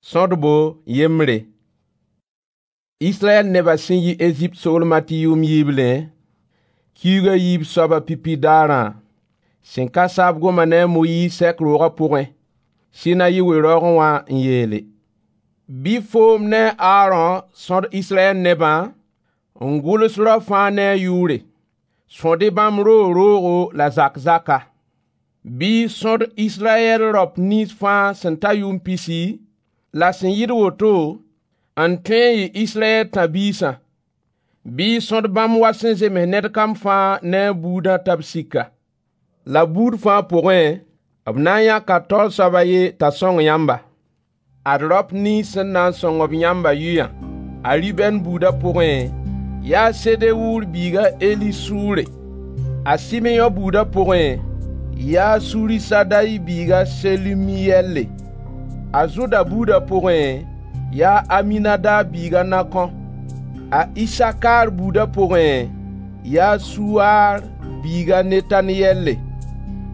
Sõdbo yembre. Israyɛl nebã sẽn yi Ezipt soolmã tɩ yʋʋm yiiblẽ, kiuug a yiib soabã pipi daarã, sẽn ka saab goma ne a Moyiis sɛk roogã pʋgẽ, Sinayi we-raoogẽ wã n yeele: Bɩ foom ne a Aarõ sõd Israyɛl nebã n gʋls rao fãa ne a yʋʋre. Sõd-y bãmb roog-roogo la zak-zaka. Bɩ y sõd Israyɛl raop nins fãa sẽn ta yʋʋm pisi la sẽn yɩɩd woto n tõe n yɩ Israyɛl tãb-biisã. Bɩ y sõd bãmb wa sẽn zems ned kam fãa ne a buudã t'a b sika. La buud fãa pʋgẽ, b na n yãka taoor soab a yen t'a sõng yãmba. Ad raop nins sẽn na n sõng-b yãmbã yʋyã: A Ribɛn buudã pʋgẽ, yaa Sedewur biig a Elisuure. A Simeyõ buudã pʋgẽ, yaa Surisadai biig a Selumiyɛlle. A Zʋda buudã pʋgẽ, yaa Aminadaab biig a Nakõ. A Isakaar buudã pʋgẽ, yaa Suwaar biig a Netaneyɛlle.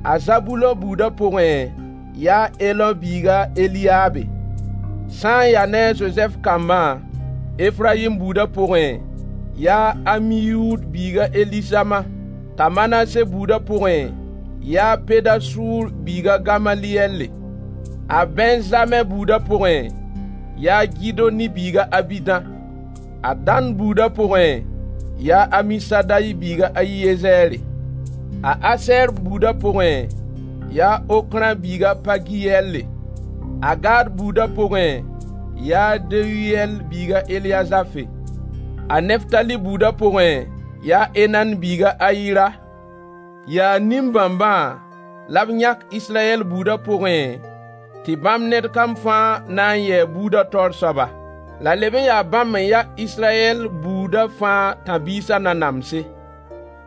A Zabulõ buudã pʋgẽ, yaa Elõ biig a Eliyaabe. Sã n ya ne a Zozɛf kambã, Efrayim buudã pʋgẽ, yaa Amiyuud biig a Elisama. T'a Manase buudã pʋgẽ, yaa Pedasuur biig a Gamaliyɛlle. A Bɛnzamɛ buudã pʋgẽ, yaa Gidoni biig a Abidã. A Dan buudã pʋgẽ, yaa Amisadai biig a Ayiyezɛɛre. A Asɛɛr buudã pʋgẽ, yaa Okrã biig a Pagiyɛlle. A Gad buudã pʋgẽ, yaa Deyuyɛl biig a Eliyazafe. A Neftali buudã pʋgẽ, yaa Enan biig a Ayira. Yaa nin-bãmbã la b yãk Israyɛl buudã pʋgẽ tɩ bãmb ned kam fãa na n yɩ a buudã taoor soaba. La leb n yaa bãmb n ya Israyɛl buudã fãa tãb-biisã nanamse.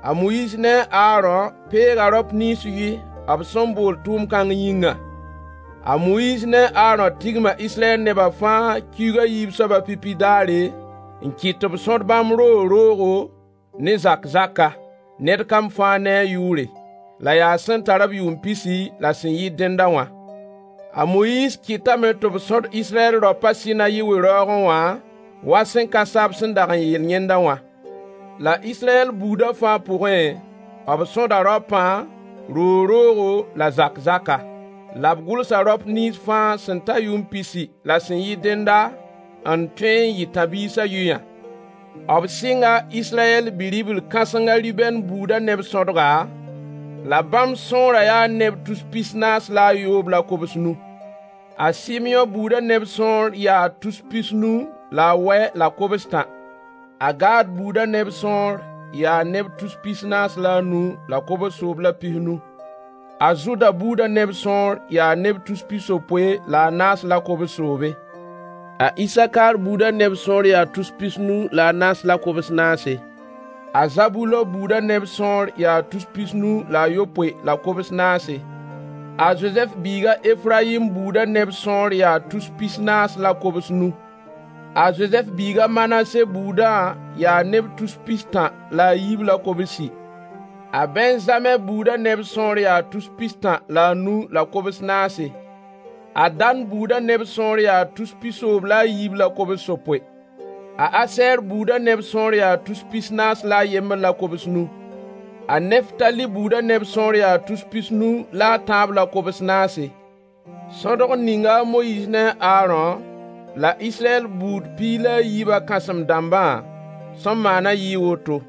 A Moyiis ne a Aarõ peega raop nins yʋy b sẽn bool tʋʋm-kãng yĩngã. A Moyiis ne a Aarõ tigma Israyɛl nebã fãa kiuug a yiib soabã pipi daare n kɩt tɩ b sõd bãmb roog-roogo ne zak-zaka, ned kam fãa ne a yʋʋre, la yaa sẽn tar-b yʋʋm pisi la sẽn yɩɩd dẽnda wã. A Moyiis kɩtame tɩ b sõd Israyɛl raopã Sinayi we-raoogẽ wã wa sẽn ka saab sẽn dag n yeel yẽnda wã. La Israyɛl buudã fãa pʋgẽ, b sõda raopã roog-roogo la zak-zaka. La b gʋlsa raop nins fãa sẽn ta yʋʋm pisi la sẽn yɩɩd dẽnda n tõe n yɩ tãb-biisã yʋyã. B sɩnga Israyɛl bi-ribl kãseng a Ribɛn buudã neb sõdga, la bãmb sõorã yaa neb tus-pisnaas la a yoob la kobs-nu. A Sɩmyõ buudã neb sõor yaa tus-pisnu la a wɛ la kobs-tã. A Gad buudã neb sõor yaa neb tus-pisnaas la a nu la kobs-soob la pisnu. A Zʋda buudã neb sõor yaa neb tus-pisopoe la a naas la kobs-soobe. A Isakaar buudã neb sõor yaa tus-pisnu la a naas la kobs naase. A Zabulõ buudã neb sõor yaa tus-pisnu la a yopoe la kobs naase. A Zozɛf biig a Efrayim buudã neb sõor yaa tus-pisnaas la kobs-nu. A Zozɛf biig a Manase buudã yaa neb tus-pistã la a yiib la kobsi. A Bɛnzamɛ buudã neb sõor yaa tus-pistã la a nu la kobs naase. A Dan buudã neb sõor yaa tus-pisoob la a yiib la kobs-sopoe. A Asɛɛr buudã neb sõor yaa tus-pisnaas la a yembr la kobs-nu. A Neftali buudã neb sõor yaa tus-pisnu la a tãab la kobs naase. Sõdg ninga a Moyiis ne a Aarõ la Israyɛl buud piig la a yiibã kãsem-dãmbã sẽn maana yɩɩ woto,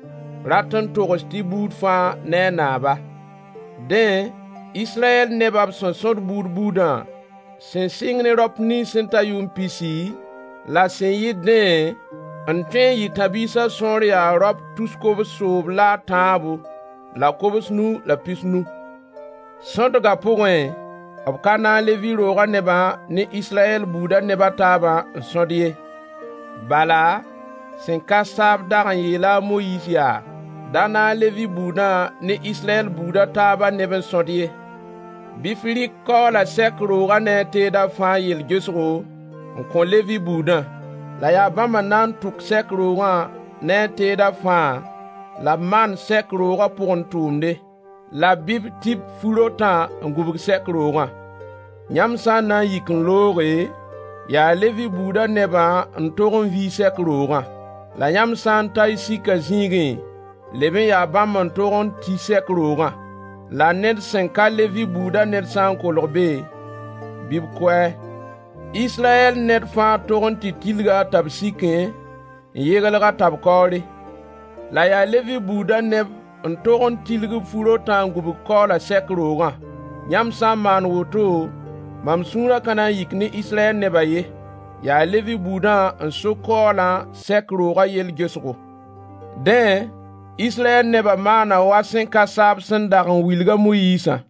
rat n togs tɩ buud fãa ne a naaba. Dẽ, Israyɛl nebã b sẽn sõd buud buudã, sẽn sɩng ne raop nins sẽn ta yʋʋm pisi la sẽn yɩɩd dẽ n tõe n yɩ tãb-biisã sõor yaa raop tus-kobs-soob la a tãabo la kobs-nu la pisnu. Sõdgã pʋgẽ, b ka na n le vɩ roogã nebã ne Israyɛl buudã neb a taabã n sõd ye. Bala, sẽn ka saab dag n yeela a Moyiis yaa: Da na n le vɩ buudã ne Israyɛl buud a taabã neb n sõd ye. Bɩ f rɩk kaoola sɛk roogã ne a teedã fãa yel-gesgo n kõ Levi buudã. La yaa bãmb n na n tʋk sɛk roogã ne a teedã fãa la b maan sɛk roogã pʋgẽ tʋʋmde, la bɩ b tib fu-rotã n gũbg sɛk roogã. Yãmb sã n na n yik n looge, Yaa Levi buudã nebã n tog n vii sɛk roogã. La yãmb sã n ta y sika zĩigẽ, leb n yaa bãmb n tog n ti sɛk roogã. La ned sẽn ka Levi buudã ned sã n kolg be, bɩ b kʋ-a. Israyɛl ned fãa tog n tɩ tilga t'a b sikẽ n yeglg-a t'a b kaoore. La yaa Levi buudã neb n tog n tilg b fu-rotã n gũbg kaoola sɛk roogã. Yãmb sã n maan woto, mam sũurã ka na n yik ne Israyɛl nebã ye. Yaa Levi buudã n so kaoolã sɛk roogã yell gesgo. Dẽ, Israyɛl nebã maana wa sẽn ka saab sẽn dag n wilg a Moyiisã.